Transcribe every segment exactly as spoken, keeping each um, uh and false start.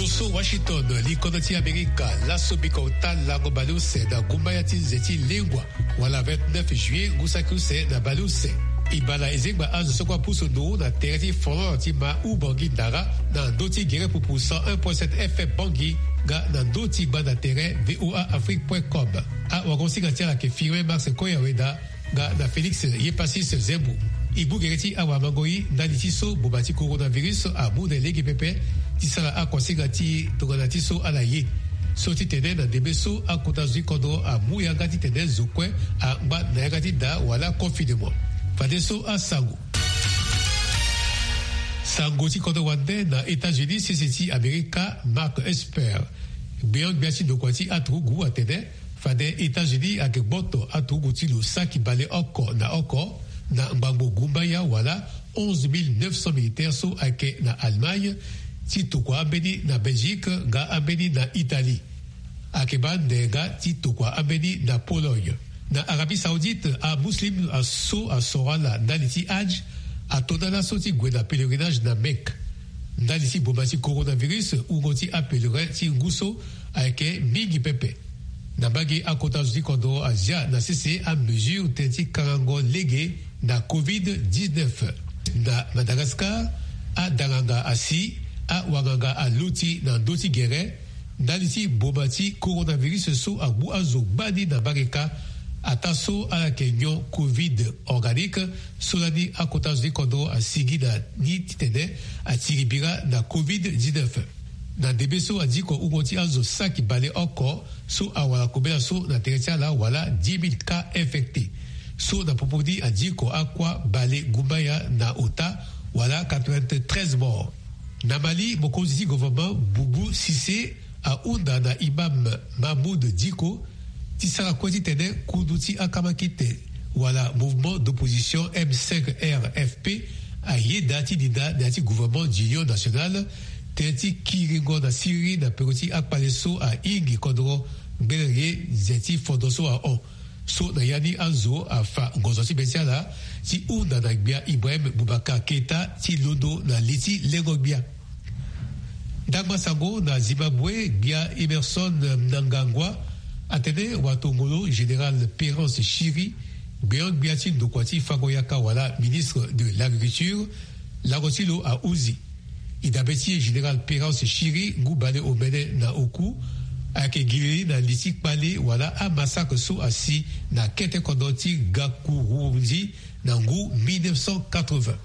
So Washington, likodro ti Amerika, laso biko ota lango baleuse na gumbaya ti nze ti lengua, wala vingt-neuf juillet ngu saki use na baleuse. E bala e zengba azo so kue apusu ndo na tere ti folklore ti ma Oubangui Dara, na ndö ti gere pupu cent un point sept F M Bangui, nga na ndö ti gbanda tere V O A Afrique point com. Awagosinga ti ala ayeke Firmin Max Koyaweda, nga na Félix Yepassis Zembo. E gbu gere ti awamango-i ndali ti so boma ti coronavirus amu na e lege pepe, ti sara akuasinga ti tongana ti so ala ye. So ti tene na ndembe so akota zo ti kodro amu yanga ti tene zo kue angba na yanga ti da wala confinement. Fadeso asango. Sango ti kodro wande na États-Unis, sese ti Amerika, Mark Esper, gbeon-gbia ti ndokua ti aturugu atene, fade États-Unis ayeke gboto aturugu ti lo saki bale oko na oko na ngbangbo gumbaya wala onze mille neuf cents militaires so ayeke na Allemagne, ti tokua ambeni na Belgique nga ambeni na Italie. Ayeke baa ndenga ti tokua ambeni na Pologne. Na Arabie Saoudite, amuslim so asoro ala ndali ti Hajj ato na laso ti gue na pèlerinage na Mecque. Ndali ti boma ti coronavirus, wungo ti apèlerin ti ngu so ayeke mingi pepe. Na mbage akota zo ti kodro azia na sese amesure tënë ti kangango lege na covid dix-neuf. Na Madagascar, adanganga asi, awanganga aloti na ndö ti gere ndali ti boma ti coronavirus so agbu azo gbani na mbage kâ. Ataa so ala yeke nyon covid organique, so lani akota zo ti kodro asigi na ni titene atiri bira na covid dix-neuf. Na ndembe so adiko wungo ti azo saki bale oko so awara kobela so na tere ti ala wala dix mille cas infectés. So na popo ni adiko akua bale gumbaya na ota wala quatre-vingt-treize morts. Na Mali, mokonzi ti gouvernement Boubou Cissé ahunda na imam Mahmoud Dicko ti sara kue titene kundu ti akamakite wala mouvement d'opposition M cinq R F P ayeda ti dinda na ya ti gouvernement d'union nationale, tënë ti kiringo na siriri na peko ti akpale so ahingi kodro ngbene ye nze ti fondo so ahon. So na ya ni azo afa ngonzo ti be ti ala ti hunda na gbia Ibrahim Boubacar Keita ti londo na li ti lengo-gbia. Ndangba sango na Zimbabwe, gbia Emmerson Mnangagwa atene watongolo général Perence Shiri, gbeon-gbia ti ndokua ti fango yaka wala ministre de l'agriculture, lango ti lo ahunzi. E dabe ti e général Perence Shiri, ngu bale omene na oku, ayeke gi lili na li ti kpale wala amassacre so asi na kete kodro ti Gakurundi na ngu mille neuf cent quatre-vingts.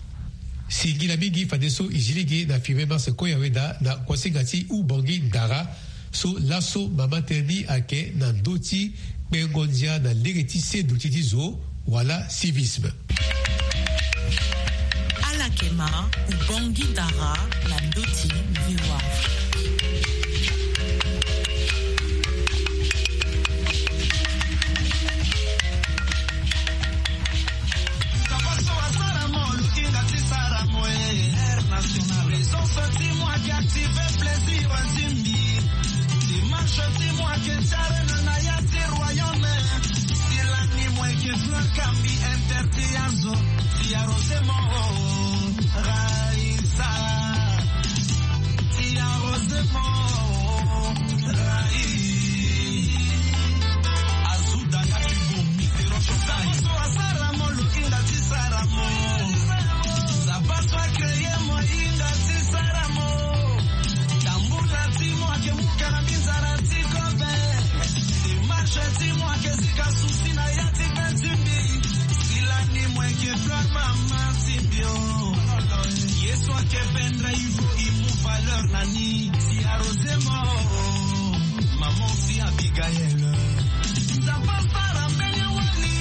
Singila mingi fadeso e zi lege na Firmin Max Koyaweda na kuasinga ti Oubangui Dara, so laso mama tënë ni ayeke na ndö ti kpengo ndia na lege ti se duti ti zo wala civisme. Ala yeke ma Oubangui Dara na ndö ti V O A. Présence ti mo ayeke active plaisir ti mbi. Démarche ti mo ayeke ti arena na ya ti royaume. Sila ni mo yeke fleur kambi interdit ya zo ti arrosé mo. Raïssa. Ti arrosé mo. Raïssa. Azuda nga ti bomi. Nzapa so asara mo, lo hinga ti sara mo. Nzapa so acréé mo, hinga ti sara mo. Tambula ti mo ayeke muka na mbi nzara ti kobe. Démarche ti mo ayeke sika souci na ya ti be ti mbi. Sila ni mo yeke fleur mama ti mbi o. Ye so ayeke pendre il faut e mu valeur na ni. Ti arrosé mo. Maman si Abigaël. Nzapa sara mbeni wali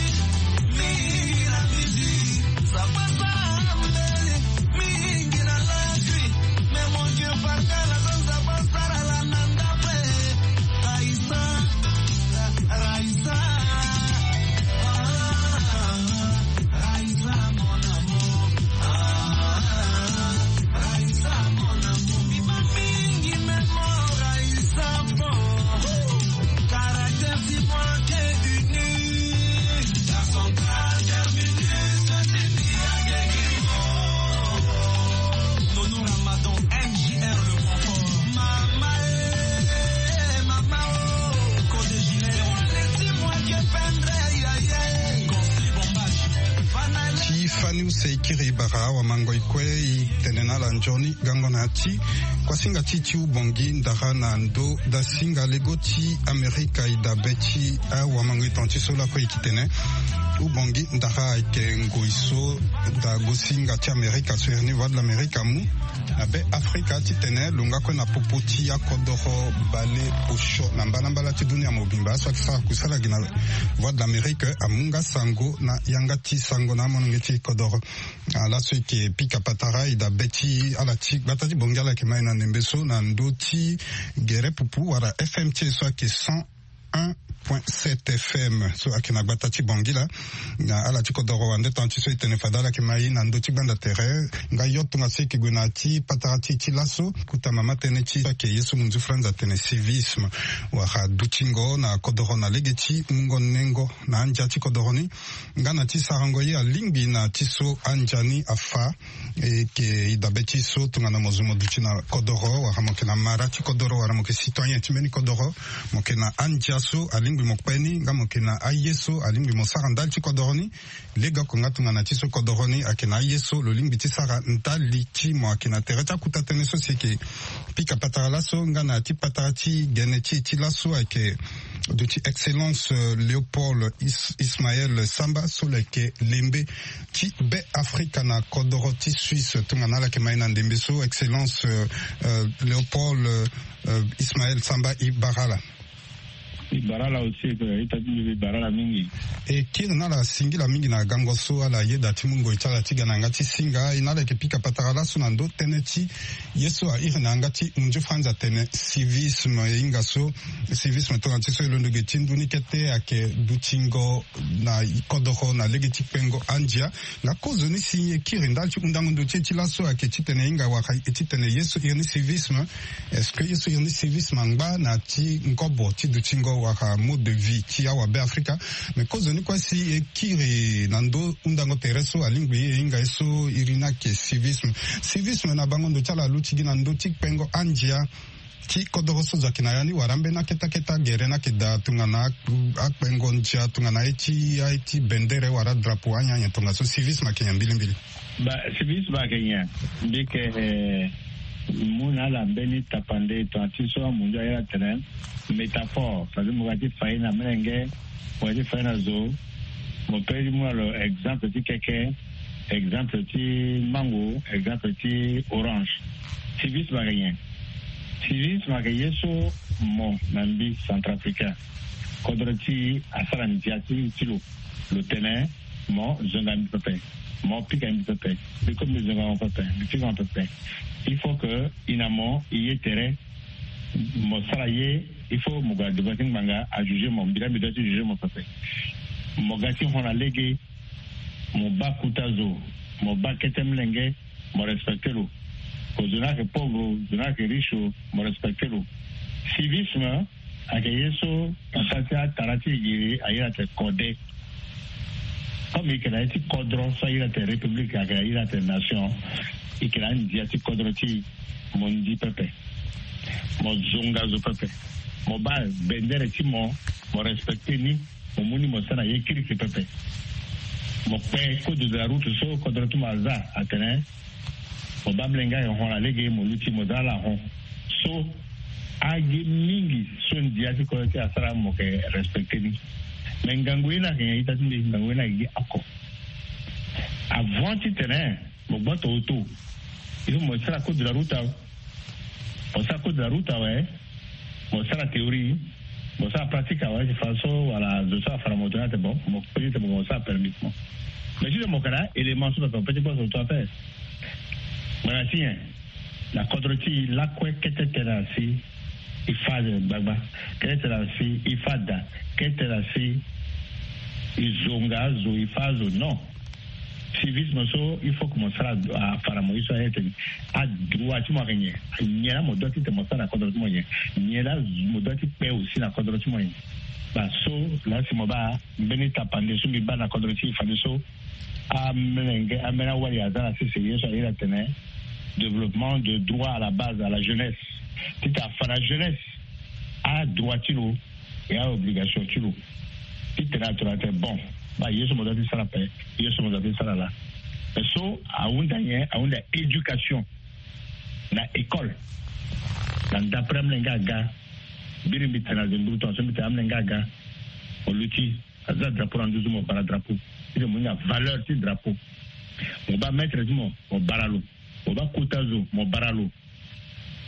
mingi na midi. Nzapa sara mbeni mingi na la nuit. Mais mon Dieu, pardon, la Nzapa sara la na ndape. Raïssa, Raïssa. Ah. Raïssa, mon amour. Ah, Raïssa, mon amour. Mima mingi, mais mon Raïssa, bon. Caractère, si moi, qui est uni. Iri bara awamangoi kue i tene na ala nzoni gango na ya ti kuasinga ti ti ubongi ndara na ndo dasinga lego ti Amerika i dabe ti awamangoi tonga ti so lakue i ki tene ubongi ndara ayeke ngoi so dagosinga ti Amerika so iri ni Voix de l'Amérique amu na be Afrika titene lo nga kue na popo ti akodoro bale osio na mbalambala ti dunia mobimba. Aso ayeke sara kusala gi na Voix de l'Amérique amu nga sango na yanga ti sango na amolenge ti kodoro. Ala so eke pika patara i dabe ti ala ti gbata ti bongi ala yeke ma e na ndembe so na ndö ti gere pupu wala F M ti e so ayeke cent un point sept F M so ayeke na gbata ti bongi la. Na ala ti kodoro wande tonga ti so e tene fade ala yeke ma e na ndö ti gbanda tere nga yo tongaso e yeke gue na ya ti patara ti e ti laso. Kuta mama tënë ti so ayeke ye so munzu franz atene civisme wala dutingo na kodoro na lege ti mungo nengo na andia ti kodoro ni. Nga na ti sarango ye alingbi na ti so andia ni afa. E yeke e dabe ti so tongana mo zo mo duti na kodoro wala mo yeke na mara ti kodoro wala mo yeke citoyen ti mbeni kodoro, mo yeke na andia so alingbi mo kpe ni nga mo yeke na aye so alingbi mo sara ndali ti kodoro ni. Legeoko nga tongana ti so kodoro ni ayeke na aye so lo lingbi ti sara ndali ti mo ayeke na tere ti akuta tënë so si e yeke pika patara laso nga na ya ti patara ti gene ti e ti laso ayeke duti excellence Léopold Ismaël Samba so lo yeke lembe ti be Afrika na kodoro ti Suisse. Tongana ala yeke ma e na ndembe so excellence Léopold Ismaël Samba, e bara ala. E bara ala aussi ita ti mbi e bara ala mingi. E kiri na ala singila mingi na gango so ala yeda ti mu ngoi ti ala ti ga na yanga ti singa e na ala yeke pika patara laso na ndö tënë ti ye so airi na yanga ti munzu franz atene civisme e hinga so civisme tongana ti so e londo ge ti ndu ni kete ayeke dutingo na kodoro na lege ti kpengo andia. Nga kozoni si e kiri ndali ti hundango ndo ti e ti laso ayeke titene e hinga wala e titene ye so iri ni civisme. Est-ce que ye so iri ni civisme angba na ya ti ngobo ti dutingo wala mode de vie ti awabe Afrika? Mais kozoni kue si e kiri na ndö hundango tere so alingbi e hinga ye so iri ni ayeke civisme. Civisme na bango ndo ti ala aluti gi na ndö ti kpengo andia ti kodoro so zo ayeke na ya ni wala ambeni akete akete agere ni ayeke daa tongana akpengo ndia tongana aye ti aye ti bendere wala drapeau anyen anyen tongaso civisme ayeke nyen mbilimbili? Ba civisme ayeke nyen? Mbi yeke mu na ala mbeni tapande tongana ti so amunzu aye atene métaphore, c'est-à-dire mo ga ti fa ye na melenge, mo ga ti fa ye na zo, mo pe ti mu na lo exemple ti keke, exemple ti mango, exemple ti orange. Civisme ayeke nyen? Civisme ayeke ye so mo na mbi centrafricain, kodro ti e asara ndia ti ti lo. Lo tene mo zonga mbi pepe, mo pika mbi pepe, mbi kue mbi zonga mo pepe, mbi pika mo pepe. Il faut que e na mo e ye tere, mo sara ye, il faut mo gue na devant ti ngbanga ajuger mo, mbi laa mbi doit ti juger mo pepe. Mo ga ti hon na lege, mo baa kota zo, mo baa kete molenge, mo respecter lo. Ko zo ni ayeke pauvre, zo ni ayeke riche, mo respecter lo. Civisme ayeke ye so na sara ti atara ti e giri aye atene kode. Comme e yeke na ye ti kodro so aye atene république, ayeke na ye atene nation, e yeke na andia ti kodro ti e. Mo ndi pepe, mo zonga zo pepe, mo baa bendere ti mo, mo respecter ni. Mo mu ni mo sara na ye kirikiri pepe. Mo kpe code de la route so kodro ti mo aza atene mo baa molenge ayeke hon na lege, mo luti mo za ala hon. So agi mingi so ndia ti kodro ti e asara mo yeke respecter ni. Mais ngangu ye ni ayeke nyen ita ti mbi? Ngangu ye ni ayeke gi oko. Avant titene mo gboto auto, il faut mo sara code de la route awe. Mo sara code de la route awe, mo sara théorie, mo sara pratique awe, si fadeso wala zo so afa na moto ni atene bon, mo peut ti tene mo sara permis ti mo. Mais titene mo yeke na élément so mo yeke mo peut ti gboto auto ape. Mo na ti nyen? Na kodro ti e lakue kete tene na si e fâ gbagba, kete tene na si e fâ da, kete tene na si e zonga azo, e fâ azo, non. Civisme so il faut que mo sara afa na mo ye so aye tene adroit ti mo ayeke nyen? Nyen laa mo doit ti tene mo sara na kodro ti mo nyen? Nyen laa mo doit ti kpe aussi na kodro ti mo nyen? Ba so laa si mo baa mbeni tapande so mbi baa na kodro ti e fadeso, amolenge, ambeni awali aza na sese ye so aye atene développement de droit à la base, à la jeunesse. Titene afa na jeunesse adroit ti lo, e aobligation ti lo. Titene atene atene bon, baa ye so mo doit ti sara ape, ye so mo doit ti sara laa. So ahunda nyen? Ahunda éducation na école. Na d'après amolenge aga, biri mbi tene na zi mburu tongaso mbi tene amolenge aga, mo luti, aza drapeau na nduzu, mo bara drapeau. Ti de mo hinga valeur ti drapeau. Mo baa maître ti mo, mo bara lo. Mo baa kota zo, mo bara lo.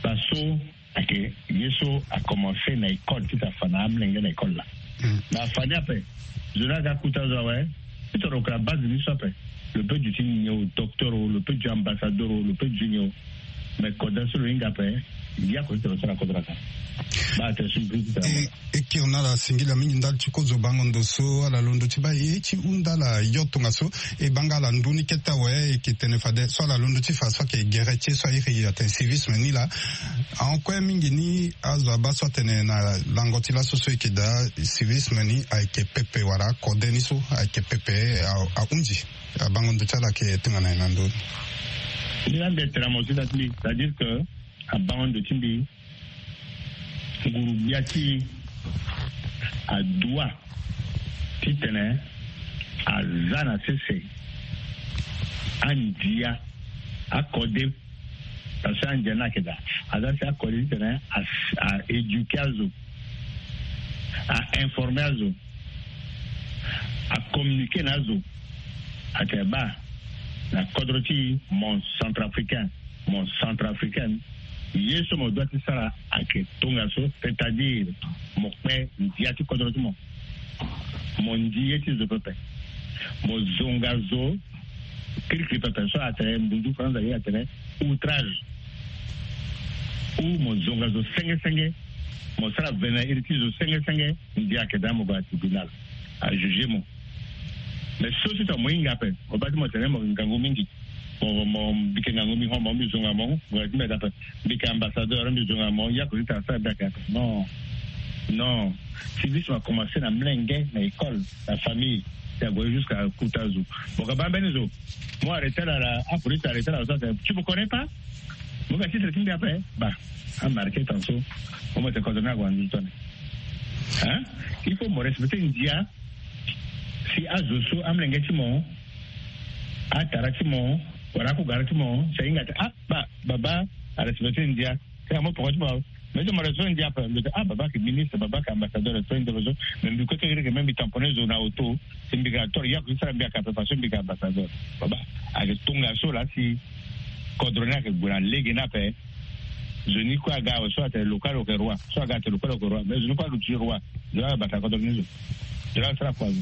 Parce que ake ye so akomanse na école ti ta fa na amolenge na école la. Na fani ape, zo ni aga kuta zo awe. Ti toro ka base ni so ape. Lo pe ju ti nyen o, docteur o, lo pe ju ambassadeur o, lo pe ju nyen o. Mais koda so lo hinga ape, ya ko ti toro sara kodro aka. Ba te su mbri ti tara. E kiri na ala singila mingi ndali ti kozo bango ndo so ala londo ti baa ye ti hunda ala yo tongaso. E banga ala ndu ni kete awe e ke tene fade so ala londo ti fa so ake gere ti e so airi atene civisme ni la. Ahon kue mingi ni azo abaa so atene na lango ti laso so e ke daa civisme ni ayeke pepe wala akode ni so ayeke pepe. Ahundi. Abango ndo ti ala ayeke tongana nyen na ndö ni? Ni la mbi tene na mo ti da ti mbi, c'est-à-dire que abango ndo ti mbi, nguru-gbia ti e adoit titene aza na sese andia akode. Parce que andia ni ayeke daa aza si akode titene a éduquer azo, a informer azo, a communiquer na azo. Atene baa na kodro ti e, mon centrafricain, mon centrafricaine, ye so mo doit ti sara ayeke tongaso, c'est-à-dire mo kpe ndia ti kodro ti mo, mo ndi ye ti zo pepe, mo zonga zo kirikiri pepe so atene mbunzu faranza ye atene outrage, ou mo zonga zo senge senge, mo sara vene na iri ti zo senge senge. Ndia ayeke daa mo gue na tribunal, a juger mo. Mais so ti tongana mo hinga ape, mo baa ti mo tene mo ngangu mingi. Mo mo mbi yeke ngangu mingi, mo mbi zonga mo, mo ti mbi daa ape. Mbi yeke ambassadeur, mbi zonga mo, ya ko ti tara sara mbi ayeke ape. Non. Non. Civisme akomanse na mlenge, na école, na famille. Ti ague jusqu'à kuta zo. Mo ka baa mbeni zo, mo arrêter ala, apolice arrêter ala so atene tu me connais pas? Mo ga titre ti mbi ape. Baa, amarquer tanso. Mo mo tene kodro ni ague na nduzu tone. Hein? Il faut mo respecter ndia. Si azo so amlenge ti mo, atara ti mo, wala akugara ti mo, si ahinga atene ah baa, baba arespecter ndia. Ti amo poko ti mo. Mais ti mo respecter ndia ape, mbi tene ah baba ayeke ministre, baba ayeke ambassadeur, respecter ndia so. Mais mbi kue so iri ke même mbi tamponner zo na auto. Si mbi ga toro, ya ko ti sara mbi ayeke ape parce que mbi ayeke ambassadeur. Baba ayeke tongaso laa si kodro ni ayeke gue na lege ni ape. Zo ni kue aga awe, so atene local lo yeke roi, so aga atene local lo yeke roi, mais zo ni kue aluti roi. Zo la bata kodro ni zo. Zo la sara kua zo.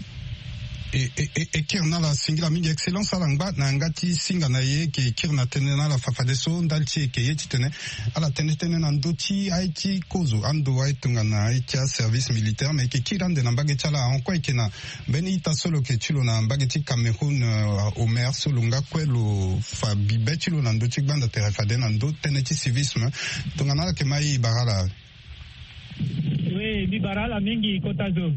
E, e, e, e kiri na ala singila mingi excellence ala ngba na yanga ti singa na ye. E ke kiri na tënë na ala fafadeso ndali ti e ke ye titene ala tene tënë na ndö ti aye ti kozo ando aye tongana aye ti aservice militaire, me e ke kiri ande na mbage ti ala. Ahon kue e ke na mbeni ita so lo yeke ti lo na mbage ti Cameroun, euh, Omer, so lo nga kue lo fa bibe ti lo na ndö ti gbanda tere fade na ndö tënë ti civisme. Tongana ala yeke ma e, e bara ala. Oui, mbi bara ala mingi kota zo.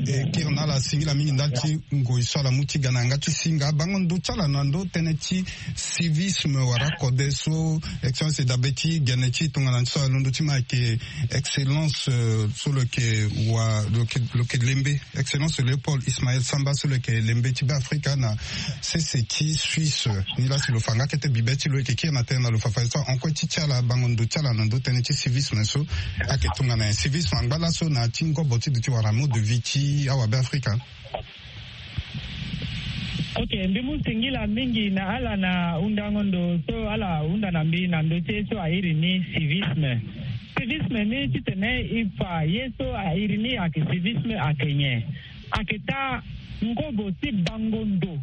E kiri na ala singila mingi ndali ti ngoi so ala mu ti ga na yanga ti singa. Bango ndo ti ala na ndö tënë ti civisme wala kode so excellence e dabe ti gene ti e tongana so alondo ti ma ayeke excellence, euh, so lo yeke wa, lo yeke, lo yeke lembe. Excellence Léopold Ismaël Samba so lo yeke lembe ti Beafrika na sese ti Suisse. Nilaa si lo fa nga kete bibe ti lo, e yeke kiri na tënë na lo fafadeso ahon kue ti ti ala bango ndo ti ala na ndö tënë ti civisme so ayeke tongana nyen? Civisme angba laso na ya ti ngobo ti duti wala mode de vie ti awabeafrika. Ok, mbi mu singila mingi na ala na hundango ndo so ala hunda na mbi na ndö ti ye so airi ni civisme. Civisme ni titene e fa ye so airi ni ayeke civisme ayeke nyen? Ayeke taa ngobo ti bango ndo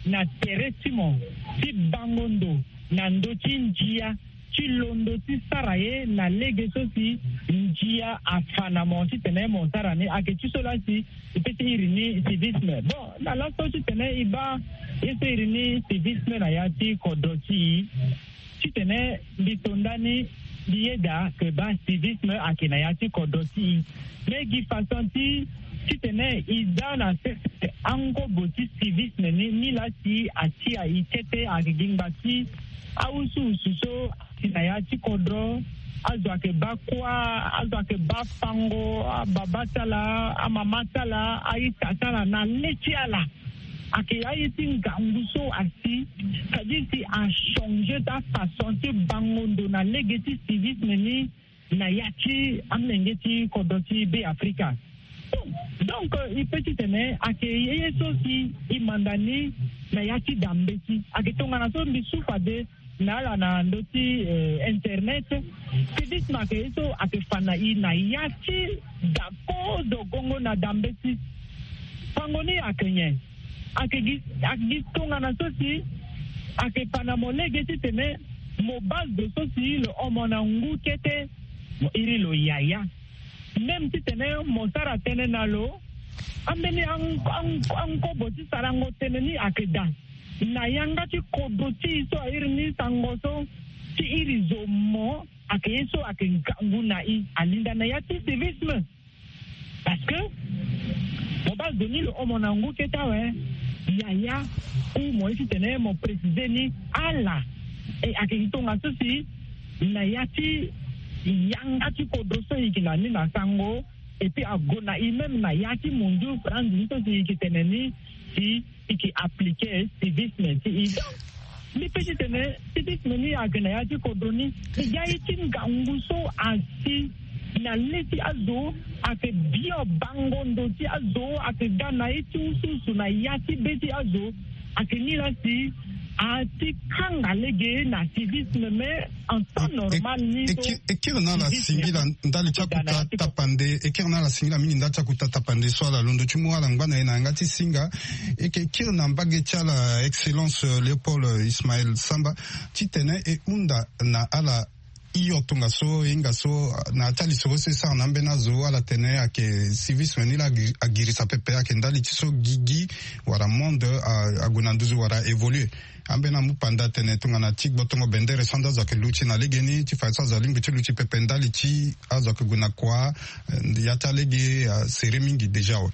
na tere ti mo, ti bango ndo na ndö ti ndia, ti londo ti sara ye na lege so si ndia afa na mo titene mo sara ni. Ayeke ti so laa si e pe ti iri ni civisme. Bon, na laso titene e baa ye so iri ni civisme na ya ti kodro ti e, titene mbi to ndani mbi yeda ke baa civisme ayeke na ya ti kodro ti e. Me gi façon ti titene e za na sese angobo ti civisme ni, ni laa si atia e kete ayeke gi ngba ti awusuwusu so si na ya ti kodro, azo ayeke baa kuâ, azo ayeke baa fango, ababa ti ala, amama ti ala, a-ita ti ala na le ti ala. Ayeke aye ti ngangu so asi, c'est-à-dire si achanger ti afaçon ti bango ndo na lege ti civisme ni na ya ti amolenge ti kodro ti Be Afrika. Donc e pe titene ayeke ye ye so si e manda ni na ya ti da mbeti. Ayeke tongana so mbi su fade na ala na ndö ti internet. Civisme ayeke ye so ayeke fa na e na ya ti da kozo gongo na da mbeti. Fango ni ayeke nyen? Ayeke gi tongana so si ayeke fa na mo lege titene mo baa zo so si lo omo na ngu kete, mo iri lo yaya. Même titene mo sara tënë na lo, ambeni ankobo ti sarango tënë ni ayeke daa na yanga ti kodro ti e so airi ni sango so ti iri zo mo ayeke ye so ayeke ngangu na e alinda na ya ti civisme. Parce que mo baa zo ni lo omo na ngu kete awe, yaya, ou mo ye titene mo préciser ni ala. E ayeke gi tongaso si na ya ti yanga ti kodro so e yeke na ni na sango, et puis ague na e même na ya ti mondio franzi ni so si e yeke tene ni si e yeke appliquer civisme ti e. Donc mbi pe titene civisme ni ayeke na ya ti kodro ni. E ga ye ti ngangu so asi na le ti azo ayeke bio bango ndo ti azo ayeke ga na ye ti usuusu na ya ti be ti azo. Ayeke ni laa si ati kanga lege na civisme mais en temps normal ni so e kiri na ala singila ndali ti akuta tapande. E kiri na ala singila mingi ndali ti akuta tapande so ala londo ti mu ala ngba na e na yanga ti singa. E yeke kiri na mbage ti ala excellence Léopold Ismaël Samba titene e hunda na ala hio tongaso e hinga so na ya ti alisoro so e sara na ambeni azo ala tene ayeke civisme ni laa agirisa pepe ayeke ndali ti so gigi wala monde ague na nduzu wala évoluer. Ambeni amu panda atene tongana ti gbotongo bendere so ande azo ayeke luti na legeni ti fa so azo alingbi ti luti pepe ndali ti azo ayeke gue na kua ya ti alege asere mingi déjà awe.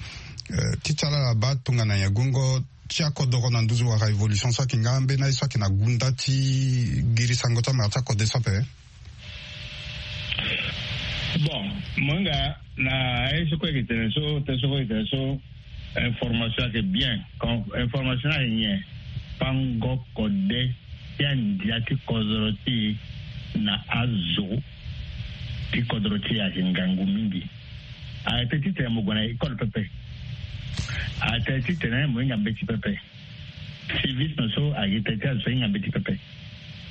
Ti ti ala ala baa tongana nyen gongo ti akodoro na nduzu wala évolution so ayeke nga ambeni aye so ayeke na gunda ti girisango ti amara ti akode so ape? Bon, mo hinga na aye so kue ayeke tene so te so kue ayeke tene so information ayeke bien. Information ni ayeke nyen? Pango kode ti andia ti kodoro ti e na azo ti kodoro ti e ayeke ngangu mingi. Arrêté titene mo gue na école pepe. Arrêté titene mo hinga mbeti pepe. Civisme so ayeke tene ti azo so ahinga mbeti pepe.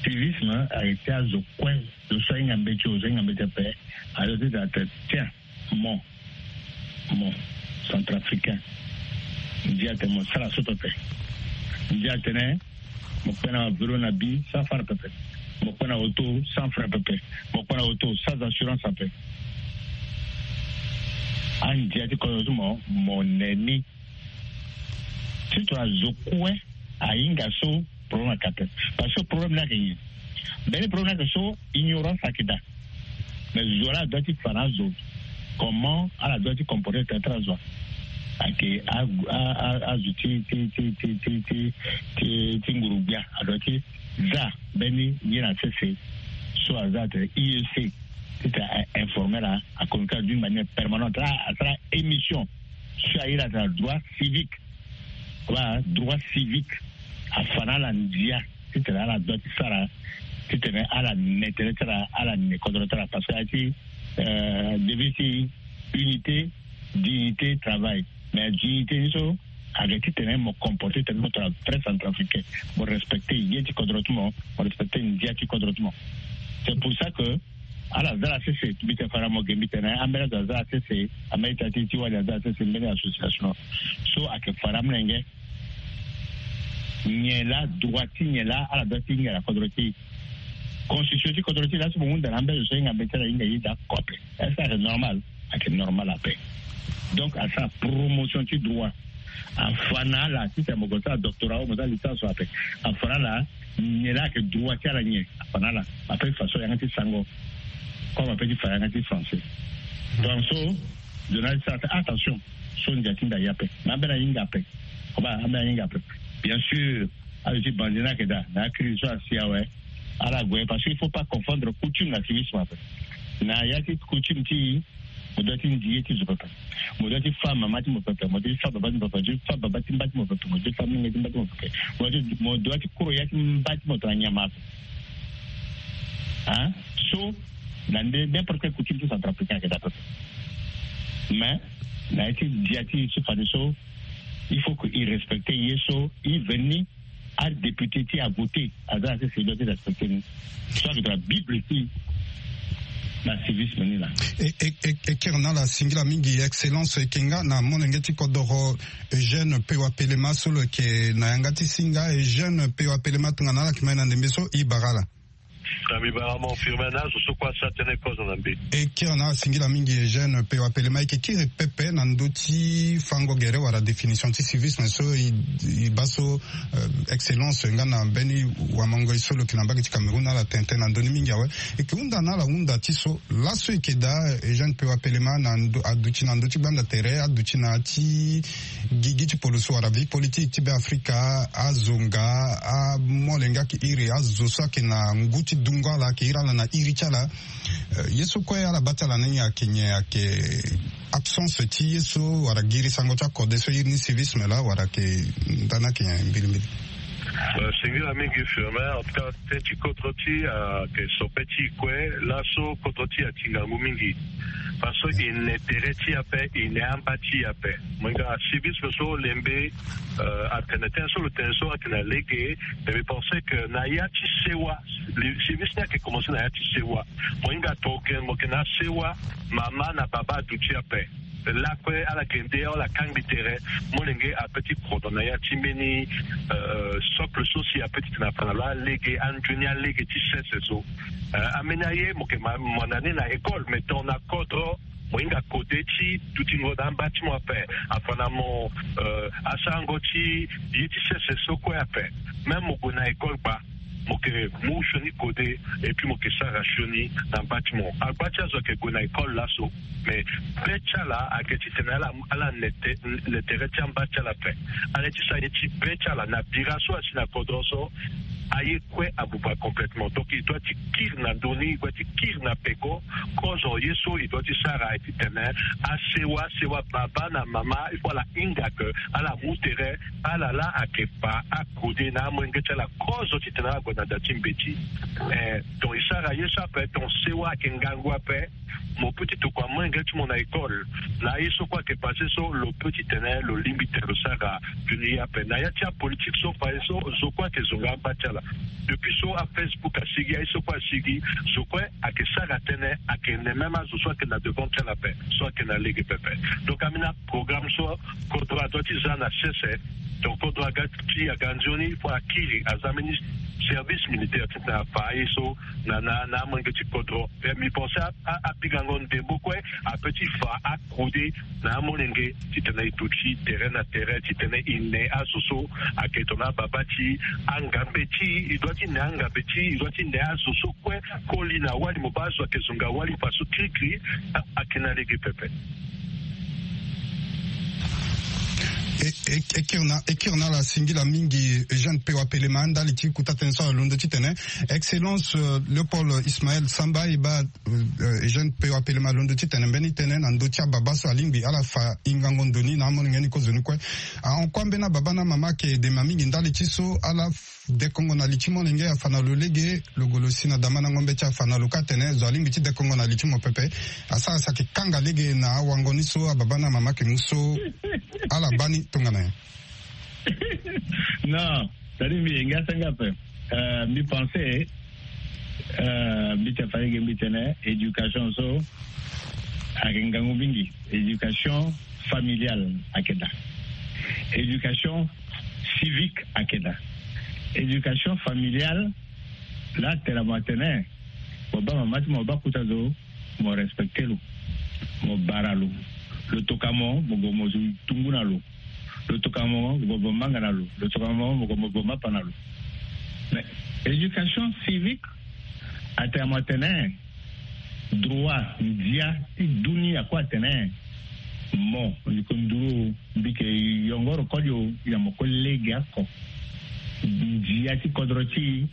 Civisme ayeke ti azo kue, zo so ahinga mbeti o zo ahinga mbeti pepe. Azo titene atene tiens, mo mo centrafricain, ndia atene mo sara so pepe. Ndia atene mo kpe na vélo na bi sans phare pepe. Mo kpe na auto sans frein pepe. Mo kpe na auto sans assurance ape. Andia ti kodro ti mo mo ne ni. Titene azo kue ahinga so problème ayeke ape. Parce que problème ni ayeke nyen? Mbeni problème ni ayeke so ignorance ayeke daa. Mais zo laa ala doit ti fa na azo comment ala doit ti comporter tene ti azo ayeke azo ti ti ti ti ti ti ti ti nguru-gbia. Ala doit ti za mbeni ye na sese so aza atene I E C titene a informer ala, a communiquer d'une manière permanente. Asara émission so airi atene droit civique. Wala droit civique. Afa na ala ndia titene ala doit ti sara titene ala ne tere ti ala, ala ne kodro ti ala. Parce que aye ti devise ti unité, dignité, travail. Mais dignité ni so ayeke titene mo comporter tene mo tongana vrai centrafricain, mo respecter ye ti kodro ti mo, mo respecter ndia ti kodro ti mo. C'est pour ça que ala za ala sese, mbi tene fara mo ge mbi tene ambeni azo aza ala sese, ambeni ita ti ti wali aza ala sese, mbeni association so ayeke fara amolenge. Nyen laa droit ti nyen laa ala doit ti hinga na kodro ti e? Constitution ti kodro ti e laa so mo hunda na ambeni azo so ahinga mbeti ala hinga ye daa kote. Est-ce que ayeke normal? Ayeke normal ape. Donc asara promotion ti droit. Afa na ala titene mo gue sara doctorat o mo sara licence ape. Afa na ala nyen laa ayeke droit ti ala nyen? Afa na ala. Ape façon yanga ti sango comme ape ti fa yanga ti français. Donc so journaliste sara attention. So ndia ti nda ye ape. Mais ambeni ahinga ape. Koba ambeni ahinga ape. Bien sûr azo ti bandi ni ayeke daa na acrise so asi awe. Ala gue parce que il faut pas confondre coutume na civisme ape. Na ya ti coutume ti Mo doit ti ndi ye ti zo pepe. Mo doit ti fa mama ti mo pepe. Mo doit ti fa baba ti mo pepe. Mo doit ti fa baba ti mba ti mo pepe. Mo doit ti fa mingi ti mba ti mo pepe. Mo doit ti koro ya ti mba ti mo tongana nyama ape. Hein? So na nde n'importe quelle coutume ti centrafricain ayeke daa pepe. Mais na ye ti dia ti so fade so, il faut que il respecte ye so, il veni adéputé ti avoté aza na sese doit ti respecte ni. So ayeke tongana bible ti na civisme ni laa. E kiri na ala singila mingi excellence, e yeke nga na molenge ti kodoro Eugène Pewa Pelema so lo yeke na yanga ti singa. Eugène Pewa Pelema, tongana ala yeke ma e na ndembe so, e bara ala. Na mbi bara mo Firmin na azo so kue asara tënë kozo na mbi. E kiri na ala singila mingi Eugène Pewa Pelema. E yeke kiri pepe na ndö ti fango gere wala définition ti civisme so e baa so excellence nga na mbeni wamango e so lo yeke na mbage ti Cameroun na ala tene tënë na ndö ni mingi awe. E yeke hunda na ala hunda ti so laso e yeke daa Eugène Pewa Pelema na ndo aduti na ndö ti gbanda tere, aduti na ya ti gigi ti poloso wala vie politique ti Beafrika, azo nga amolenge ayeke iri azo so ayeke na ngu ti dungo ala ayeke iri ala na iri ti ala. Ye so kue ala baa ti ala ni ayeke nyen? Ayeke absence ti ye so wala giri sango ti akode so e iri ni civisme laa wala ayeke ndani ayeke nyen mbilimbili? Singila mingi Firmin. En tout cas, tënë ti kodro ti e ayeke sobe ti e kue. Laso kodro ti e ati ngangu mingi parce que e ne tere ti e ape, e ne amba ti e ape. Mo hinga civisme so lembe atene tënë so lo tene so ayeke na lege. Mais mbi pense que na ya ti sewa, civisme ni ayeke commence na ya ti sewa. Mo hinga tongana mo yeke na asewa, mama na baba aduti ape. Lakue ala yeke nde ala kangbi tere. Molenge ape ti kodro na ya ti mbeni socle so si ape ti tene afa na lo alege, anzoni alege ti sese so. Ambeni aye mo yeke ma mo na ni na école, mais tongana kodro mo hinga kode ti dutingo na amba ti mo ape, afa na mo asarango ti ye ti sese so kue ape. Même mo gue na école gba, mo yeke mu sioni kode, et puis mo yeke sara sioni na amba ti mo. Agba ti azo ayeke gue na école laso, mais be ti ala ayeke titene ala ala ne tere ti amba ti ala ape. Ala ye ti sara ye ti be ti ala na bira so asi na kodro so. Aye kue abuba complètement. Donc e doit ti kiri na ndö ni, e doit ti kiri na peko. Kozo ye so e doit ti sara aye titene asewa asewa, baba na mama, il faut ala hinga que ala mu tere. Ala laa ayeke fa akode na amolenge ti ala kozo titene ala gue na da ti mbeti. Donc e sara ye so ape, donc sewa ayeke ngangu ape. Mo peut ti tokua molenge ti mo na école na aye so kue ayeke passe so, lo peut titene lo lingbi tene lo sara tuni ye ape. Na ya ti apolitike so faye so, zo kue ayeke zonga amba ti ala. Depuis so afacebook asigi, aye so kue asigi, zo kue ayeke sara tënë, ayeke ne même azo so ayeke na devant ti ala ape, so ayeke na lege pepe. Donc ambeni aprogramme so kodro adoit ti za na sese. Donc kodro aga ti aga nzoni, il faut akiri aza mbeni service militaire titene afa aye so na na na amolenge ti kodro. Mais mbi pense apikango ndembo kue ape ti fa akode na amolenge titene e duti tere na tere titene e ne azo so ayeke tongana ababa ti e. Angambe ti e, e doit ti ne angambe ti e, e doit ti ne azo so kue koli na wali, mo baa azo ayeke zonga wali faso kirikiri. Ayeke na lege pepe. E kiri na e kiri na ala singila mingi Eugène Pewa Pelema ndali ti kota tënë so ala londo titene excellence Léopold Ismaël Samba e baa Eugène Pewa Pelema alondo titene mbeni tënë na ndö ti ababa so alingbi ala fa hingango ndo ni na amolenge ni kozoni kue. Ahon kue ambeni ababa na amama ayeke dema mingi ndali ti so ala dekongo na li ti molenge afa na lo lege, lo gue lo si na damandango mbeti afa na lo kâ atene zo alingbi ti dekongo na li ti mo pepe. Asara si ayeke kanga lege na awango ni so ababa na amama ayeke mu so. Ala baa ni tongana nyen? Non, c'est-à-dire mbi yenge asenge ape. Mbi pense mbi ti afa lege mbi tene éducation so ayeke ngangu mingi. Éducation familiale ayeke daa. Éducation civique ayeke daa. Éducation familiale laa atene mo atene mo baa mama ti mo baa kota zo, mo respecte lo, mo bara lo. Lo toka mo mo gue mo zo tungu na lo. Lo toka mo mo gue mo manga na lo. Lo toka mo mo gue mo gue mapa na lo. Mais éducation civique atene mo atene droit ndia ti dunia kue atene mo ndiko nduru mbi yeke yongoro koli o, ya mo kue lege oko. Ndia ti kodro ti e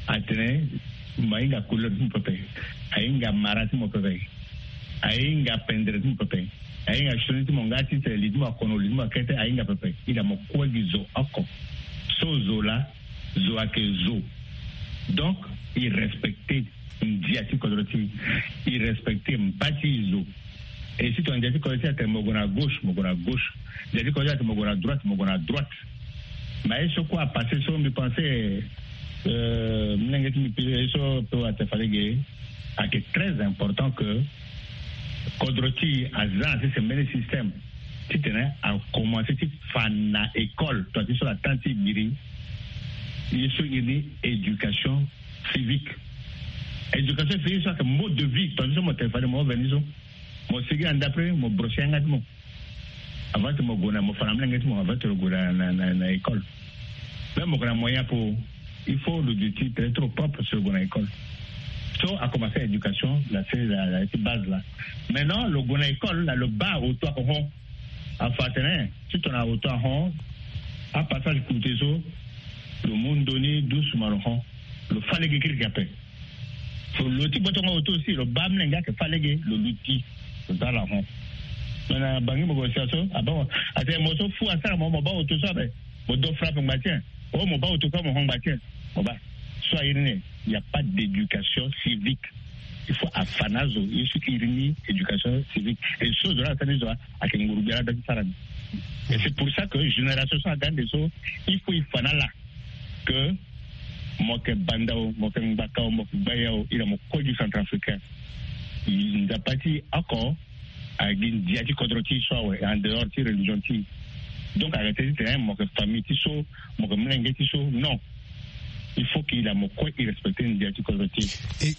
atene mo ahinga couleur ti mo pepe, ahinga mara ti mo pepe. Ahinga pendere ti mo pepe. Ahinga sioni ti mo nga ti tene li ti mo akono, li ti mo akete, ahinga pepe. Ila mo kue gi zo oko. So zo laa, zo ayeke zo. Donc, e respecte ndia ti kodro ti e. E respecte mba ti e zo. Et si tongana ndia ti kodro ti e atene mo gue na gauche, mo gue na gauche. Ndia ti kodro ti e atene mo gue na droite, mo gue na droite. Mais ye so kue apasse so, mbi pense, euh, molenge ti mbi pire ye so pe wa te fade ge, ayeke très important que kodro ti e aza na ti sembeni système titene akomanse ti fa na école, tongana ti so la temps ti e biri, ye so iri ni éducation civique. Éducation civique so ayeke mode de vie, tongana ti so mo tene fade mo veni so, mo sigi na ndapre, mo brosse yanga ti mo. Avant ti mo gue na, mo fa na molenge ti mo, avant ti lo gue na, na, na, na école. Même mo gue na moyen apo, il faut lo duti très trop propre si lo gue na école. So akomanse éducation la, c'est la, la ti base la. Maintenant lo gue na école la, lo baa auto oko hon. Afa atene si tongana auto ahon, apassage coûté so, lo mu ndoni doucement lo hon. Lo fa lege kirikiri ape. Lo ti gbotongo auto aussi, lo baa molenge ayeke fa lege, lo luti, lo dala hon. Me na Bangui mo gue sia so, abaa, atene mo so fou asara mo, mo baa auto so ape, mo do frappe ngba ti en. Oh, mo baa auto kue mo hon ngba ti en. Mo baa. So airi ni, il n'y a pas d'éducation civique. Il faut afa na azo ye so iri ni éducation civique. Et so zo la asara ni zo ayeke nguru gbia la da ti sara ni. Et c'est pour ça que génération so aga ande so, il faut e fa na ala que mo yeke banda o, mo yeke ngbaka o, mo yeke gbaya o, ila mo kue gi centrafricain. Nzapa ti e oko, a gi ndia ti kodro ti e so awe, en dehors ti religion ti e. Donc ayeke tene ti tene mo yeke famille ti so, mo yeke molenge ti so, non. Il faut que ila mo kue e respecte ndia ti kodro ti e.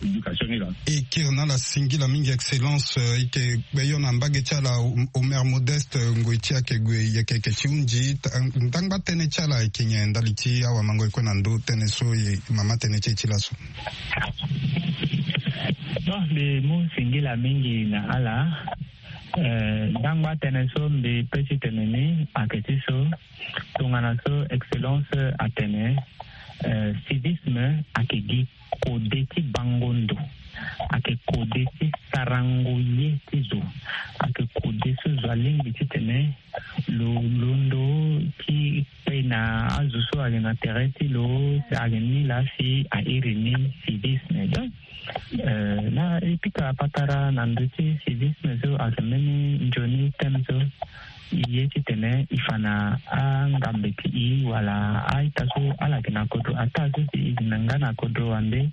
Éducation ni la. E kiri na ala singila mingi, excellence, euh, e yeke gbe yo na mbage ti ala, Omer Modeste, euh, ngoi ti e ayeke gue, e yeke, yeke ti hunzi, ta-, ndangba tënë ti ala e yeke nyen ndali ti awamango e kue na ndö tënë so e mama tënë ti e ti laso. Bon, mbi mu singila mingi na ala. Euh, ndangba tënë so mbi pe ti tene ni ayeke ti so, tongana so excellence atene, euh, civisme ayeke gi kode ti bango ndo, ayeke kode ti sarango ye ti zo, ayeke kode so zo alingbi titene lo londo ti kpe na azo so ayeke na tere ti lo, ayeke ni laa si a iri ni civisme. Donc, euh, na e pika patara na ndö ti civisme so ayeke mbeni nzoni thème so. E ye titene e fa na angambe ti e wala a-ita so ala yeke na kodro, ataa so si e yeke na nga na kodro wande.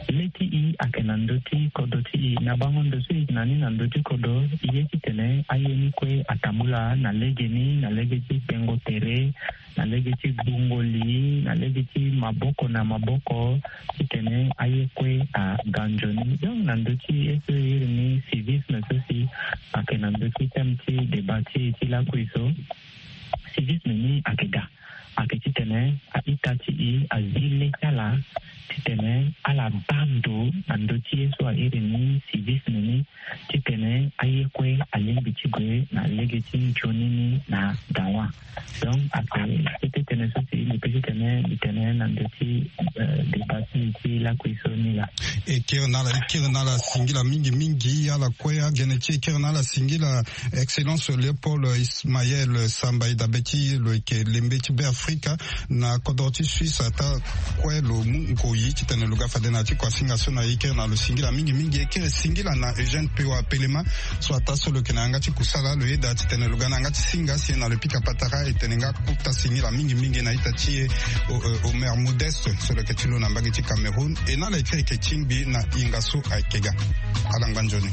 Le ti e ayeke na ndö ti kodro ti e, na bango ndo so e yeke na ni na ndö ti kodro, e ye titene aye ni kue atambula na legeni, na lege ti tengo tere, na lege ti gbungo li, na lege ti maboko na maboko, titene aye kue aga nzoni. Donc na ndö ti ye so e iri ni civisme so si ayeke na ndö ti thème ti débat ti e ti lakui so, civisme ni ayeke ga, ayeke titene a-ita ti e azi le ti ala titene ala baa ndo na ndö ti ye so a iri ni civisme ni, titene aye kue alingbi ti gue na lege ti nzoni ni na dawa. Donc ayeke kete tënë so si mbi pe titene mbi tene na ndö ti, euh, débat ti mbi ti lakui so ni laa. E kiri na ala, e kiri na ala singila mingi mingi ala kue, agene ti e kiri na ala singila. Excellence Léopold Ismaël Samba, e dabe ti lo yeke lembe ti Beafrika na kodro ti Suisse, ataa kue lo mu ngoi titene lo ga fade na ya ti kua singa so na e. E kiri na lo singila mingi mingi. E kiri singila na Eugène Pewa Pelema, so ataa so lo yeke na yanga ti kusala, lo yeda titene lo ga na yanga ti singa si na lo pika patara, e tene nga kota singila mingi mingi na ita ti e, o, o, Omer Modeste so lo yeke ti lo na mbage ti Cameroun. E na ala e kiri yeke tingbi na hinga so ayeke ga. Ala ngba nzoni.